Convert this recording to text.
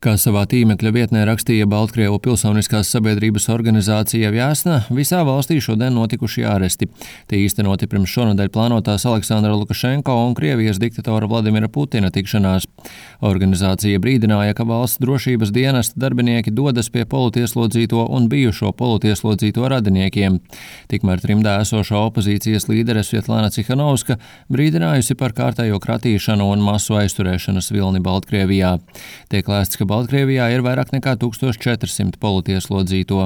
Kā savā tīmekļa vietnē rakstīja Baltkrievu pilsoniskās sabiedrības organizācija Vjasna, visā valstī šodien notikuši āresti. Tie īstenoti pirms šonedēļ plānotās Aleksandra Lukašenko un Krievijas diktatora Vladimira Putina tikšanās. Organizācija brīdināja, ka valsts drošības dienesta darbinieki dodas pie politieslodzīto un bijušo politieslodzīto radiniekiem. Tikmēr trimdā esošā opozīcijas līdere Svietlana Cihanovska brīdinājusi par kārtējo kratīšanu un masu aizturēšanas vilni Baltkrievijā. Tiek lēsts, ka Baltkrievijā ir vairāk nekā 1400 politieslodzīto.